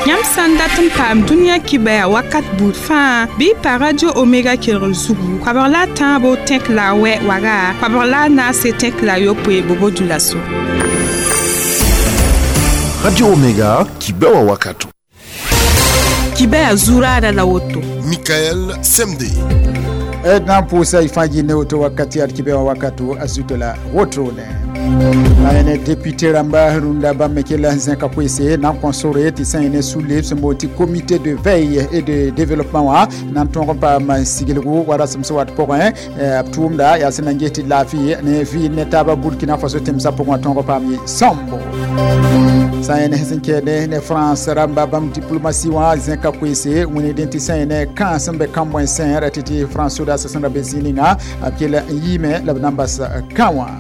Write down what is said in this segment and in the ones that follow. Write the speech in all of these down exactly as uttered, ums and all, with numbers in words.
Yãmb sã n dat n paam dũniyã kibɛa wakat buud fãa bɩ y pa Radio Omega kelgr zugu koabg la a tãabo tẽk la a wɛ waga koabg la a naase tẽk la a yopoe bobo dulaso. Radio Omega, kibɛa wakato. Kibɛa zuraada la woto. Michael Semde. D na n pʋʋsa y fãa yɩ ne woto wakati ad kibɛ wã wakato a zuto la wotone la ne député rãmba rũndã bãmb me kell n zẽka koeese na n kõ sore tɩ sã ne sũ-leb sẽn boond tɩ Comité de veille et de développement wã na n tõog n paam siglgu wa rasem sẽn wat pʋgẽ b tʋʋmda yaa sẽn na n ges tɩ laafɩ ne vɩɩd ne taaba Burkina Faso tẽmsã pʋgẽ wã tõog n paam yɩ sõmbo. Sã yẽ ne sẽn kɛɛde ne France rãmba bãmb diplomatie wã zẽka koeese wĩnigdẽ tɩ sã yẽ ne kãa sẽn be kãn-bõe-sẽn ra tɩ tɩ France sodaasã sẽn ra be zĩig ninga b kell n yiime la b na n bas kã wã.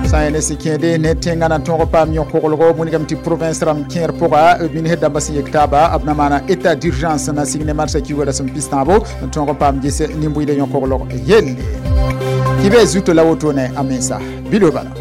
Sã yẽ ne sẽn kẽede ne tẽngã na n tõog paam yõ-koglgo wĩnigame tɩ province rãmb kẽer pʋga minsd dãmbã sẽn yek taaba b na maana état d'urgence na sig ne marsã kiuga rasem pis-tãabo n tõog n paam ges nin-bʋɩda yõ-koglg yelle. Kɩ zuto la wotone a mensa bilo bala.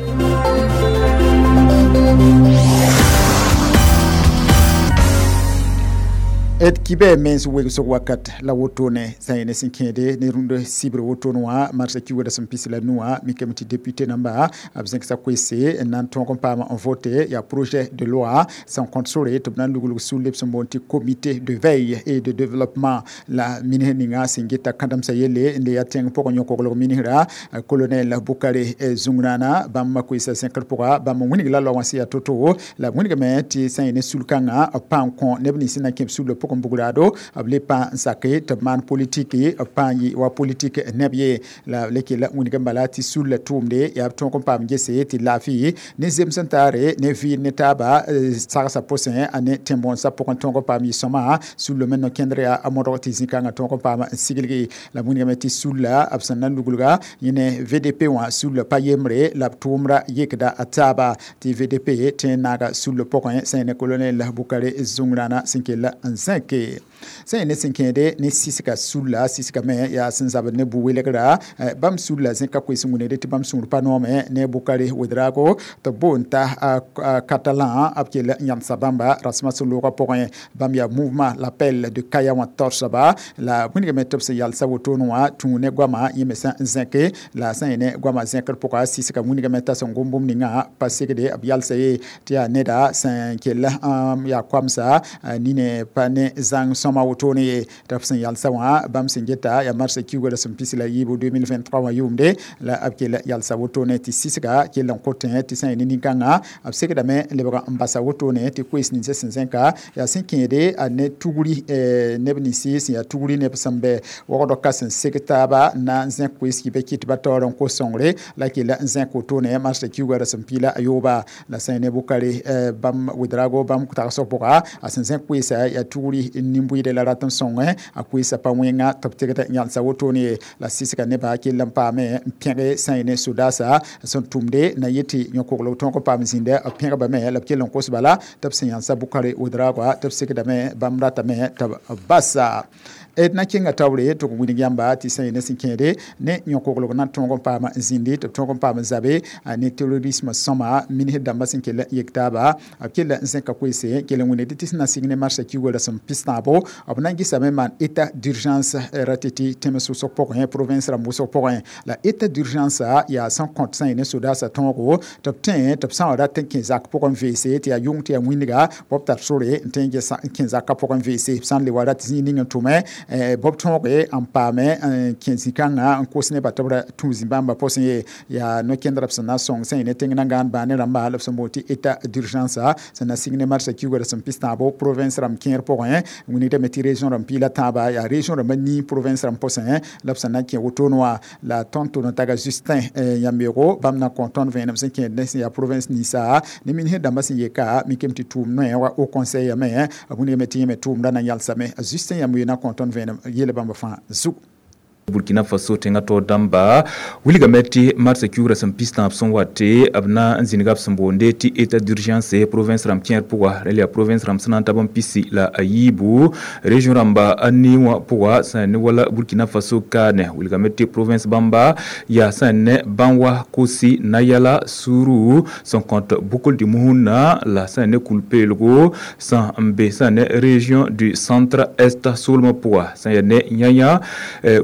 D kibɛ mens wegsg wakat la wotone sã yẽ ne sẽn kẽede ne rũnd sibr wotone wã marsã kiuga rasem pis la nu wã mikame tɩ député namba b zẽksa koeese n na n tõog n paam n vote yaa projet de loi sẽn kõt sore tɩ b na n luglg sũ-leb sẽn boond tɩ Comité de veille et de développement la minsd ninga sẽn geta kãdemsã yelle n le yaa tẽng pʋgẽ yõ-koglg minsra colonel Bukare Zungrana bãmb koeesã zẽkr pʋga bãmb wĩnig la loa wã sẽn yaa to-to la b wĩnigame tɩ sã yẽ ne sul-kãngã b pãa n kõ neb nins sẽn na n kẽ b sul pʋgẽ bugrado b le pã n sake tɩ b maan politiki b pãa n yɩ wa politik neb ye la b le kell wĩnigẽ bala tɩ sul la tʋʋmde yaa b tõog n paam gese tɩ laafɩ ne zems n taare ne vɩɩd ne taaba sagsã pʋsẽ a ne tẽn-bõonsã pʋgẽ tõog n paam yɩ sõma sullo me no-kẽndr yaa a modg tɩ zĩ-kãngã tõog n paam n siglgi la wĩnigame tɩ sulla b sẽn na n luglga yẽ ne V D P wã sulla pa yembre la b tʋʋmra yekda a taaba tɩ V D P tẽ n naaga sullo pʋgẽ sã yẽ ne colonel Bukare Zungrana sẽn kell n zẽke sã yẽ ne sẽn kẽede ne sisga sulla sisga me yaa sẽn zabd ne bu-welgra bãmb sulla zẽka koes n wĩnigde tɩ bãmb sũur pa noome ne Bukare Ouedraogo tɩ b boond t'a Catalan b kell n yãmsa bãmba rasmã sẽn loogã pʋgẽ bãmb yaa mouvement L'appel de Kaya wã taoosba la wĩnigame tɩ b sẽn yalsa wotone wã tũ ne goamã yẽ me sã n zẽke la sã yẽ ne goamã zẽkr pʋga sisga wĩnigame t'a sẽn gom bũmb ninga pa segde b yalsa ye tɩ yaa neda sẽn kell yaa koamsa nine pa ne zãng sõma wotone ye tɩ b sẽn yalsa wã bãmb sẽn geta yaa marsã kiuga rasem pis la yiibu deux mille vingt-trois wã yʋʋmde la b kell yalsa wotone tɩ sisga kell n kotẽ tɩ sã yẽ ne nin-kãngã b segdame n lebg n basa wotone tɩ koees ninsã sẽn zẽka yaa sẽn kẽede a ne tugri neb ninsi sẽn yaa tugri neb sẽn bɛ wogdɔ ka sẽn seg taaba na n zẽk koees kɩ kɩt ba taoor n kos sõngre la kell n zẽk wotone marsã kiuga rasem piila a yooba la sã yẽ ne Bukare bãmb Ouedraogo bãmb tagsg pʋga a sẽn zẽk koeesa yaa tugri nin-bʋɩde la rat n sõngẽ a koeesã pa wẽnga tɩ b tegd n yãlsa wotone ye la sisga nebã kell n paame n pẽge sã yẽ ne sodaasa sẽn tʋmde na yetɩ yõ-koglg tõog n paam zĩnda b pẽgbame la b kell n kos bala tɩ b sẽn yãlsa Bukare Ouedraogo tɩ b segdame bãmb ratame tɩ b basa. D na kẽnga taoore tɩ b wĩnig yãmba tɩ sã yẽ ne sẽn kẽede ne yõ-koglg na n tõog n paam n zĩndi tɩ b tõog n paam n zabe ne terrorisme sõma minsd dãmbã sẽn kell n yek taaba b kell n zẽka koeese kell n wĩnigd tɩ sẽn na sig ne marsã kiuga rasem pis-tãabo b na n gɩsame maan état d'urgence ra tɩ tɩ tẽms wʋsg pʋgẽ province rãmb wʋsg pʋgẽ la état d'urgence yaa sẽn kõt sã yẽ ne sodaasã tõogo tɩ b tẽ tɩ b sã n wa rat n kẽ zak pʋgẽ n veese tɩ yaa yʋng tɩ yaa wĩnga b tar sore n tõe n kẽ zakã pʋgẽ n veese b sã n le wa rat zĩig ning n tʋme b tõoge n paame n kẽ zĩ-kãngã n kos nebã tɩ b ra tũ zĩ-bãmbã pʋsẽ ye yaa no-kẽndrã b sẽn na n sõng sã yẽ ne tẽng nangaan baa ne rãmba la b sẽn boond tɩ état d'urgence sẽn na sig ne marsã kiuga rasem pis-tãabo province rãmb kẽer pʋgẽ wĩnigdame tɩ région rãmb piila tãaba yaa région rãmbã nii province rãmb pʋsẽ la b sẽn na n kẽ wotone wã la tõnd tʋʋm taga Justin Yambeogo bãmb na n kõ tõnd vẽenem sẽn kẽed ne sẽn yaa province ninsa ne minsd dãmbã sẽn yeka mikame tɩ tʋʋm noɛ wa Haut Conseil yame b wĩnigame tɩ yẽ me tʋʋmdã na n yalsame Justin Yambeo na n kõ tõnd vẽenem yel bãmb fãa zugu. Burkina Faso tẽngã taoor dãmba wilgame tɩ marsã kiugrã sẽn pis tãab sẽn wa tɩ b na n zĩnga b sẽn boonde tɩ état d'urgence province rãmb kẽer pʋga rẽ yaa province rãmb sẽn na n tab n pisi la a yiibu région rãmba a nii wã pʋga sẽn ne wala Burkina Faso kaane wilgame tɩ province bãmba yaa sẽn ne Banwa Kosi Nayala Suru sẽn kõt Bukl du Mouhoun la sẽn ne Kulpeelgo sẽn n be sẽn ne région du centre est soolmã pʋga sẽn yaa ne Yãyã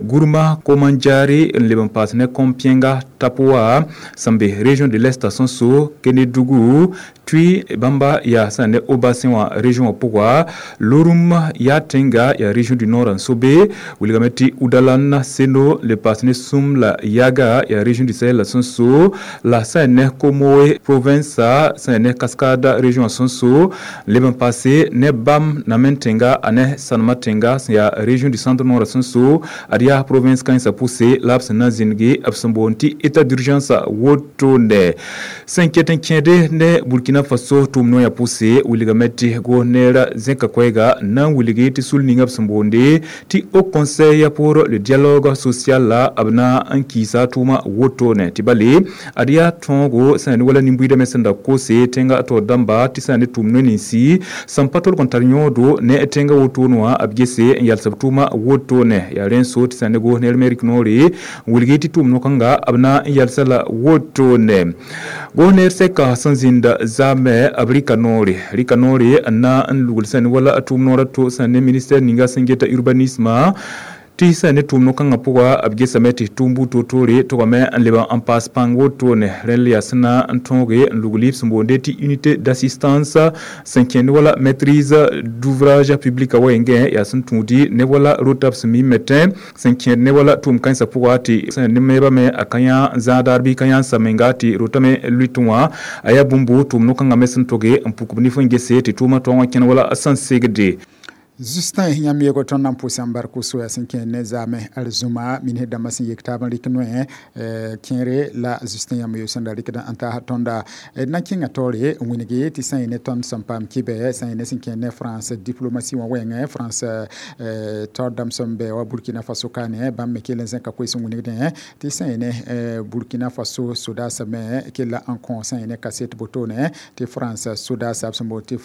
Gourma Komandjari n leb n paas ne Kompienga Tapoa sẽn be région de l'est sẽn so Kénédougou Tui bãmba yaa sẽn ne Haut-Bassin wã région wã pʋga Loroum yaa tẽnga yaa région du nord n so be wilgame tɩ Oudalan Seno le paas ne Soum la Yaga yaa région du Sahel la sẽn so la sẽn ne Comoé province sẽn ne Cascade région wã sẽn so leb n paase ne Bam Namen tẽnga a ne Sanma tẽnga sẽn yaa région du centre nord sẽn so ad yaa province kãensã pʋse la b sẽn na n zĩnge b sẽn boond tɩ état d'urgence wotone sẽn ket n kẽede ne Burkina Faso tʋʋm noyã pʋse wilgame tɩ goneera zẽka koɛɛga na n wilgi tɩ sul ninga b sẽn boonde tɩ Haut Conseil pour le dialogue social la b na n kiisa tʋʋma wotone tɩ bale ad yaa tõogo sẽn ne wala nin-buiidame sẽn da kose tẽnga taoor dãmba tɩ sã ne tʋʋm no-ninsi sẽn pa tolg n tar yõodo ne tẽnga wotone wã b gese n yals b tʋʋma wotone yaa rẽ n so tɩ sã ne goneer me rɩk noore n wilgi tɩ tʋʋm no-kãnga b na n yalsa la wotone goneer sɛka sẽn zĩnda zaamɛ b rɩka noore rɩka noore n na n lugl sẽn ne wala tʋʋm noor a to sẽn ne ministère ninga sẽn geta urbanisme tɩ sã ne tʋʋm no-kãngã pʋga b gesame tɩ tʋʋm buud toor-toore togame n leb n paas pãng wotone rẽnd yaa sẽn na n tõoge n lugl b sẽn boonde tɩ unité d'assistance sẽn kẽnd wala maîtrise d'ouvrage public a wɛɛngẽ yaa sẽn tũudi ne wala rota b sẽn mi metẽ sẽn kẽed ne wala tʋʋm kãensã pʋga tɩ sẽn ne meebame a ka yã zãadaar bɩ ka yã n sa menga tɩ rotame lʋɩtẽ wã a yaa bũmbu tʋʋm no-kãngã me sẽn toge n puk b nif n gese tɩ tʋʋmã tõog n kẽn wala sẽn segde. Justin yãmb tõnd na n pʋʋs n bark soya sẽn kẽ ne zaamẽ arzũma minsd dãmbã sẽn yek taab n rɩk noẽ kẽere la Justin yãmb sẽn da rɩkd n taas tõnda d na n kẽnga taoore n wilgi tɩ sã n ne tõnd sẽn paam kɩbɛ sã n ne sẽn kẽ ne France diplomatie wã wɛɛngẽ France taoor dãmb sẽn bɛ wa Burkina Faso kaane bãmb me kell n zẽka koees n wilgdẽ tɩ sã n ne Burkina Faso sodaasã me kella n kõ sã n ne kaset botone tɩ France sodaasã b sẽn boond tɩ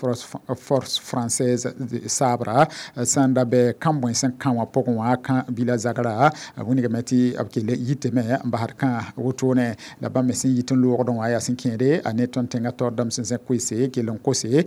force française sabra sẽn da bɛ kãn-bõe sẽn kã wã pʋgẽ wã kã bila zagra wilgame tɩ b kell yitame n basd kã wotone la bãmb me sẽn yit n loogdẽ wã yaa sẽn kẽede a ne tõnd tẽngã taoor dãmb sẽn zẽk koeese kell n kose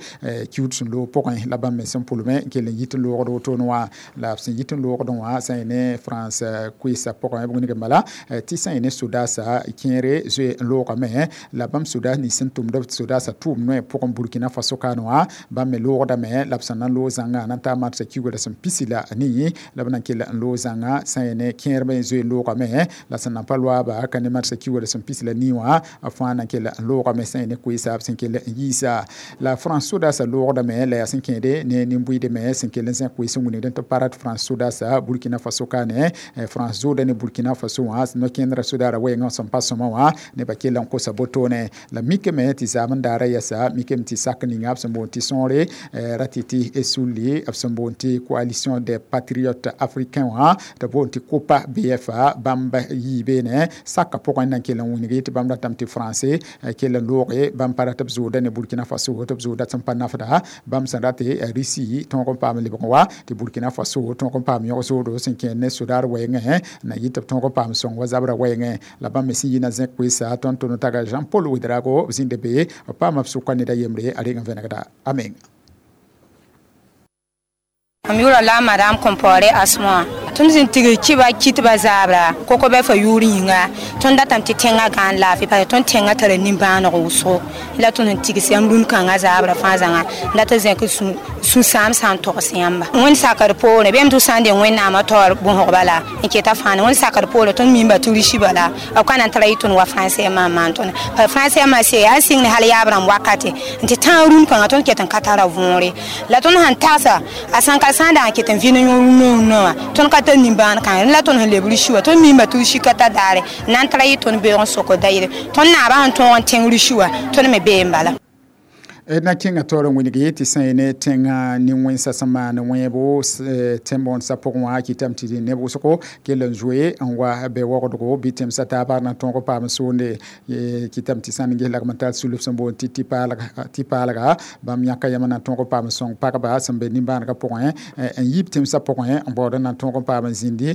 kiud sẽn loog pʋgẽ la bãmb me sẽn pʋlme n kell n yit n loogd wotone wã la b sẽn yit n loogdẽ wã sã n ne France koeesã pʋgẽ b wilgame bala tɩ sã n ne sodaasã kẽere zoe n loogame la bãmb sodaas nins sẽn tʋmd b sodaasã tʋʋm noɛ pʋgẽ Burkina Faso kaane wã bãmb me loogdame la b sẽn na n loog zãngã na n taa marsã kiugrã sẽn pisi la nii la b na n kell n loog zãnga sã n ne kẽerme zoe n loogame la sẽn na n pa loaaba ka ne marsã kiugrã sẽn pis la nii wã fãa na n kell n loogame sã n ne koeesa b sẽn kell n yiisa la France sodaasã loogdame la yaa sẽn kẽede ne nin-buɩɩdme sẽn kell n zẽk koees n wilgd tɩ pa rat France sodaasã Burkina Faso kaane France zooda ne Burkina Faso wã no-kẽndrã sodaara wɛɛngã sẽn pa sõma wã nebã kell n kosa botone la mikame tɩ zaam n daara yɛsa mikame tɩ sak ninga b sẽn boond tɩ sõore ra tɩ tɩ sulli b sẽn boond tɩ coalition des patriotes africains wã tɩ boond tɩ COPA B F A bãmb yii beene saka pʋgẽ na n kell n wilgi tɩ bãmb ratame tɩ français kell n looge bãmb pa rat b zooda ne Burkina Faso tɩ b zooda sẽn pa nafda bãmb sẽn rate Russie tõog n paam lebg wa tɩ Burkina Faso tõog n paam yõg zoodo sẽn kẽer ne sodaar wɛɛngẽ na yɩ tɩ b tõog n paam sõng wa zabra wɛɛngẽ la bãmb me sẽn yina zẽk koeesa tõnd tʋ taga Jean Paul Ouedraogo b zĩnda be b paama b sʋka ned a yembre a reng n vẽnegda a menga. Mam yʋʋra la Madame Compaoré Asma. Tõnd sẽn tigr kɩba kɩtba zaabra koko bɛ fa yʋʋr yĩnga tõnd datame tɩ tẽngã gãan laafɩ parce tõnd tẽngã tara nimbãaneg wʋsgo la tõnd sẽn tigs yãmb rũn kãngã zaabra fãa zãnga n dat n zẽk sũ-sãam sã n togs yãmba wẽnd sakr poorẽ bɩ tɩ sã n deng wẽnnaamã taoor bõsg bala n keta fãa wẽnd sakr poorẽ tõnd mimba tɩ risi bala b ka na n tara yɩ tõnd wa français maan maan tõnd parce français maa se yaa sɩng ne hal yaab rãmb wakate n tɩ tãag rũn kãngã tõnd ket n ka tara võore la tõnd sãn tagsa a sãn ka sã n dag n ket n vɩ ne yõ rũnã rũnã wã tõnd ka tar nimbãan kãngre la tõnd sẽn leb risi wã tõnd mimba tɩ risi ka ta daare n na n tara yɩ tõnd beoog n sok da yɩle tõnd naabã sẽn tõog n tẽng risi wã tõnd me bee n bala. Na kẽngã taoor n wilgi tɩ sã ne tẽngã nin-wẽnsã sẽn maan wẽebo tẽn-bõond sã pʋgẽ wã kɩtame tɩ neb wʋsgo kell n zoe n wa be wogdgo bɩ tẽmsã taaba na tõog paam soonde kɩtame tɩ sã n ges lagm n tar sulb sẽn boond tɩ tɩ-paalga bãmb yãka yãmb na tõog paam sõng pagba sẽn be nimbãanegã pʋgẽ n yiib tẽmsã pʋgẽ n baood n na tõog paam n zĩndi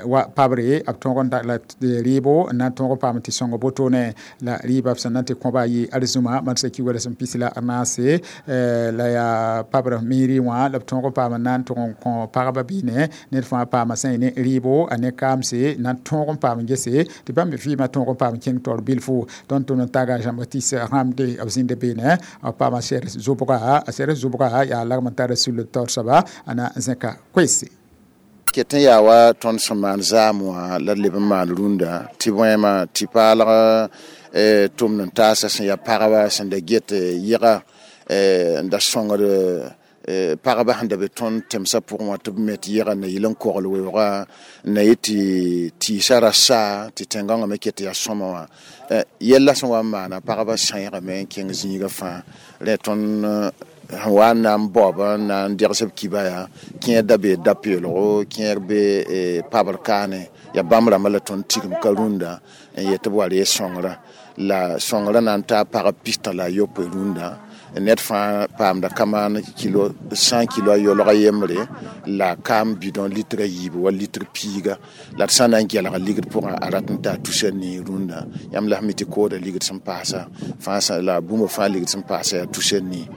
wa pabre b tõog n la rɩɩbo n na tõog paam tɩ sõng wotone la rɩɩba b sẽn na tɩ kõba yɩ arzũma marsã kiuga sẽn pis la naase la yaa pabr miiri wã la b tõog paam n na n tʋg n kõ pagba biine ned fãa paama sã ne rɩɩbo a ne kaamse na n tõog n paam gese tɩ bãmb me vɩɩmã tõog n paam kẽng taoor bilfu tõnd tʋm n taga Jean-Baptiste Rãmde b zĩnda beene b paama sɛrs zʋbga a sɛrs zʋbga yaa lagm n tara sul taoor soaba a na n zẽka koeese ket n yaa wa tõnd sẽn maan zaam wã la d leb n maan rũndã tɩ bõema tɩ paalg tʋmd n taasa sẽn yaa pagba sẽn da get yɩga n da sõngd pagba sẽn da be tõnd tẽmsã pʋgẽ wã tɩ b met yɩga na yɩl n kogl weooga n na yet tɩ tɩɩsã ra saa tɩ tẽn-gãngã me ket yaa sõma wã yɛlla sẽn wa n maana pagba sãeegame n kẽng zĩigã fãa rẽ tõnd sẽn wa n na n baoob n na n degs b kiba yaa kẽer da bee da-peelgo kẽer be pabr kaane yaa bãmb rãmbã la tõnd tigim ka rũndã n yet tɩ b wa ree sõngrã la sõngrã na n taa pagb pistã la a yopoe rũndã ned fãa paamda kamaan kilo cent kilo a yolga yembre la kaam bidon litre a yiibu wa litre piiga la d sã n na n gelga ligd pʋgã a rat n taa tusa nii rũndã yãmb la sẽn mi tɩ kooda ligd sẽn paasa fãa la bũmb fãa ligd sẽn paasa yaa tusa nii.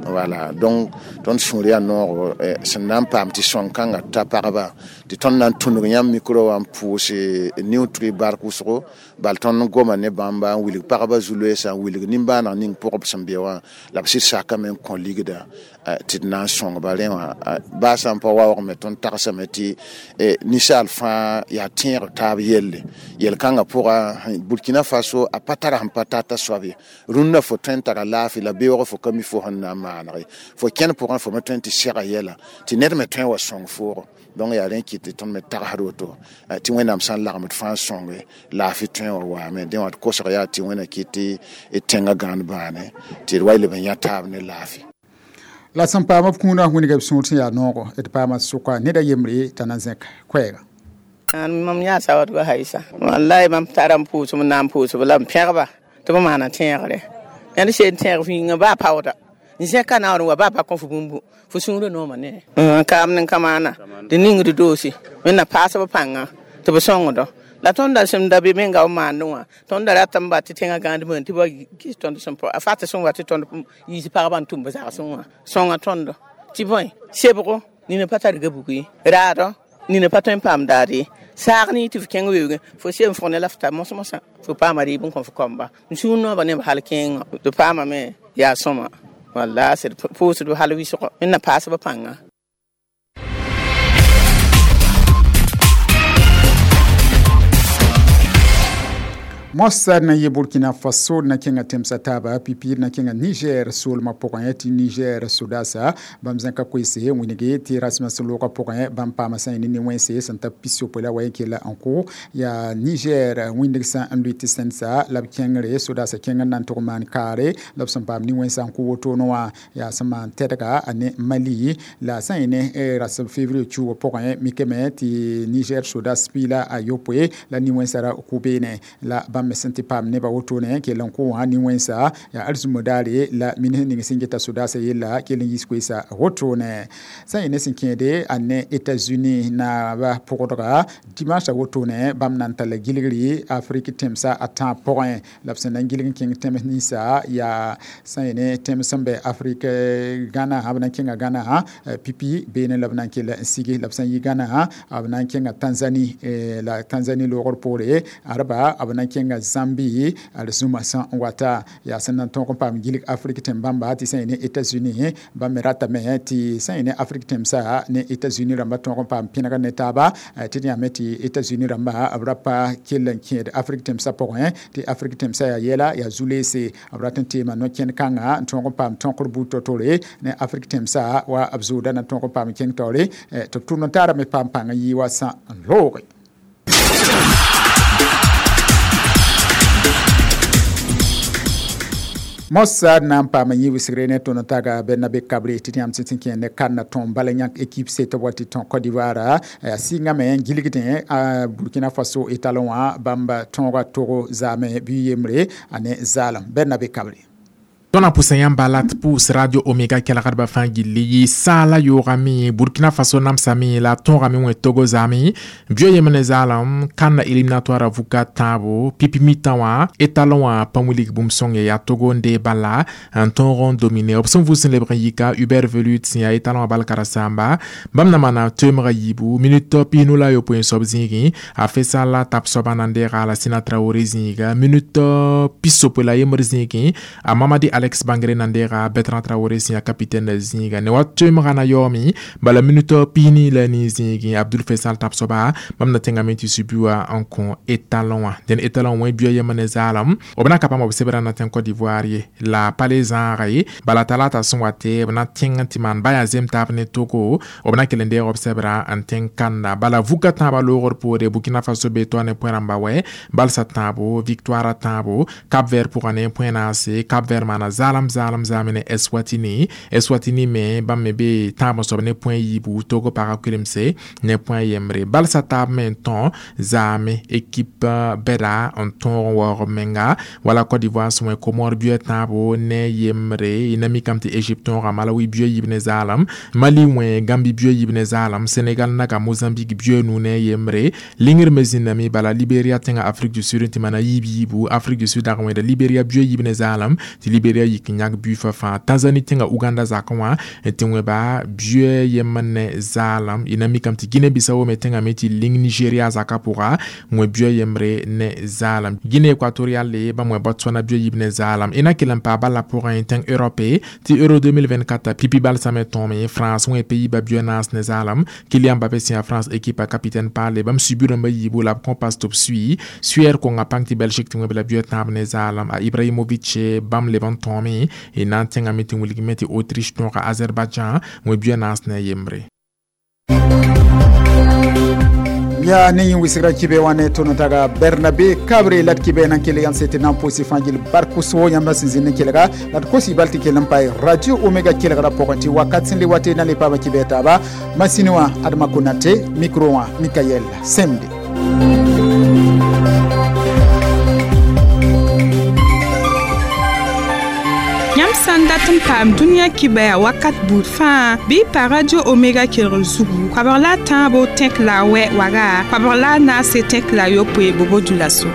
Voilà, donc tõnd sũur yaa noogo sẽn na n paam tɩ sõng kãngã ta pagba tɩ tõnd na n tũnug yãmb mikro wã n pʋʋs niu-trɩ bark wʋsgo bal tõnd goma ne bãmba n wilg pagba zu-loeesã n wilg nimbãaneg ning pʋgb sẽn be wã la b sɩd sakame n kõ ligda tɩ d na n sõngba rẽ wã baa sã n pa waoogme tõnd tagsame tɩ ninsaal fãa yaa tẽeg taab yelle yel-kãngã pʋga Burkina Faso a pa tara sẽn pa tata soab ye rũndã fo tõe n tara laafɩ la beoog fo ka mi fo sẽn na n maanege fo kẽnd pʋgẽ fo me tõe n tɩ sɛga yɛla tɩ ned me tõe n wa sõng foogo donc yaa rẽ kɩt tɩ tõnd me tagsd woto tɩ Wẽnnaam sã n lagem d fãa sõnge laafɩ tõe n wa waame dẽ wã d kosg yaa tɩ Wẽnna kɩt tɩ tẽngã gãand bãane tɩ d wa leb n yã taab ne laafɩ. La sẽn paam b kũunã wĩnga b sũur sẽn yaa noogo d paama sʋka ned a yembre t'a na zẽk koɛɛga. Mam yaa sawadgo haisa wallahi mam tara n pʋʋsb n na n pʋʋsb la m pẽgba tɩ b maana tẽegre yãnd seen tẽeg vĩingã baa paooda n zẽka naoor n wa baa pa kõ fo bũmbu fo sũurã nooma ne kaam ne kamaana tɩ ningd doose wẽnna paasb pãnga tɩ b sõngdɔ la tõnd da sẽn da be menga b maandẽ wã tõnd da ratame ba tɩ tẽngã gãand bõe tɩ ba gis tõnd sẽn a fat sẽn wa tɩ tõnd yiis pagba n tʋm b zagsẽ wã sõnga tõndo tɩ bõe sebgo nina pa tar gabug ye raadɔ nina pa tõe n paam daad ye saag ne tɩ f kẽng weoogẽ fo sem fʋg ne la f ta mos-mosã fo paama rɩɩb n kõ f kɔmba n sũur noobã neb hal kẽengã tɩ paamame yaa sõma walla sẽd pʋʋsdb hal wɩsgo wẽnna paasb pãnga. Mossad na yɩ Burkina Faso na kẽnga tẽmsã taaba pipiir na kẽnga Niger soolmã pʋgẽ tɩ Niger sodasa bãmb zẽka koeese wĩnge tɩ rasmã sẽn loogã pʋgẽ bãmb paama sã ne nin-wẽnse sẽn ta pis-yopoe la wa yẽ kella n kʋ yaa Niger wĩndg sã n lʋɩ tɩ sẽnsa la b kẽngre sodasa kẽng n na n tʋg maan kaare la b sẽn paam nin-wẽnsã n kʋ wotone wã yaa sẽn maan tɛdga a ne Mali la sã yẽ ne rasb février kiuugã pʋgẽ mikame tɩ Niger sodas piila a yopoe la nin-wẽnsã ra kʋ beene la bãmb me sẽn tɩ paam nebã wotone kell n kʋ wã nin-wẽnsa yaa arzũmã daare la minis ning sẽn geta sodaasã yella kell n yiis koeesa wotone sã yẽ ne sẽn kẽede a ne États-Unis naaba pʋgdga dimanche wotone bãmb na n talla gilgri Afrique tẽmsã a tãab pʋgẽ la b sẽn na n gilg n kẽng tẽms ninsã yaa sã yẽ ne tẽms sẽn bɛ Afrique Ghana b na n kẽnga Ghana pipi beene la b na n kell n sigi la b sã n yi Ghana b na n kẽnga Tanzanie la Tanzanie loogr poore arba b na n kẽnga Zambie arzũmã sã n wata yaa sẽn na n tõog n paam gilg Afrique tẽm bãmba tɩ sã yẽ ne États-Unis bãmb me ratame tɩ sã yẽ ne Afrique tẽmsã ne États-Unis rãmba tõog n paam pẽnegr ne taaba tɩ d yãame tɩ États-Unis rãmba b ra pa kell n kẽed Afrique tẽmsã pʋgẽ tɩ Afrique tẽmsã yaa yɛla yaa zu-leese b rat n teema no-kẽnd kãngã n tõog n paam tõkr buud to-tore ne Afrique tẽmsã wa b zooda na n tõog n paam kẽng taoore tɩ b tʋm n taarame paam pãng n yɩ wa sã n looge. Mossad na n paama yẽ wɩsgre ne tõnd n taga Bernabe Kabre tɩ yãmb sẽn kẽ ne kãnna tõm bala yãk équipe se tɩ b wa tɩ tõ Côte d'Ivoire yaa sɩngame n gilgdẽ Burkina Faso étalon wã bãmb tõoga Togo zaame bɩ yembre a ne zaalem Bernabe Kabre. Tõnd na pʋsa yãmba la tɩ pʋʋs Radio Omega kelgdbã fãa gilli yɩ saala yoogame Burkina Faso namsame la tõogame wẽ Togo zaame bio yem ne zaalem kãnna éliminatoire vuka tãabo pipi mitã wã étalon wã pa wilg bũmb sõng yaa Togo n dee bala n tõog n domine b sẽn vʋʋs n lebg n yika Hubert Velud sẽn yaa étalon wã balkara sãamba bãmb na maana toemga yiibu minute piinu la yopoe n soab zĩigẽ a Fesal tab soaba na n deega la Sina Traoré zĩiga minute pisopoe la yembr zĩigẽ a Mamadi Alex Bangre na n deega Bertrand Traoré sẽn yaa capitaine zĩiga ne wa toemga na yaoome bala minute piini la ni zĩigẽ Abdul Fesal tab soaba bãmb na tẽngame tɩ subi wã n kõ étalon wã dẽn étalon wẽ bia yem ne zaalem b na ka paam b sebra na tẽng Côte d'Ivoire ye la pa le zãaga ye bala talata sẽn wa tɩ b na tẽng tɩ maan ba yaa zem taab ne Togo b na kell n deeg b sebra n tẽng kãnda bala vuka tãabã loogr poore Burkina Faso be toa ne pʋẽ rãmba wɛ balsa tãabo victoire tãabo Cap Vert pʋgã ne pʋẽ naase Cap Vert maana zaalem zaalem zaame ne Eswatini Eswatini me bãmb me be tãab n soab ne pʋẽ yiibu Togo pagã kulemse ne pʋẽ yembre balsa taab me n tõ zaame équipe bɛda n tõog n waoog b menga wala Côte d'Ivoire sẽn wẽ Comore bia tãabo ne yembre y na mikame tɩ Égypte tõoga Malawi bia yiib ne zaalem Mali wẽ Gambi bia yiib ne zaalem Sénégal naga Mozambique bia nu ne yembre lingr me zĩnname bala Libéria tẽnga Afrique du Sud tɩ maana yiib yiibu Afrique du Sud dag n wẽeda Libéria bia yiib ne zaalem tɩ Libéria yik n yãk bui fa fãa Tanzanie tẽnga Uganda zakẽ wã tɩ wẽba bia yem ne zaalem y na mikame tɩ Guinée Bissau me tẽngame tɩ ling Nigeria zakã pʋga wẽ bia yembre ne zaalem Guinée Équatoriale bãmb wẽ Botswana bia yiib ne zaalem y na kell n paa bala pʋgẽ tẽng Europe tɩ Euro deux mille vingt-quatre pipi balsame tõome France wẽ pays-ba bia naas ne zaalem Kylian Mbappé sẽn yaa France équipe a capitaine paale bãmb subi rãmbã yiibu la b kõ pas tɩ b sui suɛɛr konga pãng tɩ Belgique tɩ wẽb la bia tãab ne zaalem a Ibrahimovic bãmb leb n tõome y na n tẽngame tɩ wilgme tɩ Autriche tõoga Azerbaïdjan wẽ bia naas ne yembre. Ya ne yẽ wɩsgra kibe wã ne tõnd taga Bernabe Kabre la d kibe nan kell yãmb sẽn tɩ na n pʋʋs fãa gill bark so yãmb sẽn zĩnd n kelga la d kosi bal tɩ kell n pae Radio Omega kelgrã pʋgẽ tɩ wakat sẽn le wa tɩ na le paama kibe taaba masini wã Adama Konate micro wã Mikael Semde. Yãmb sã n dat n paam dũniyã kibɛa wakat buud fãa bɩ pa Radio Omega kelgr zugu koabg la a tãabo tẽk la a wɛ waga koabg la a naase tẽk la a yopoe bobo dula so.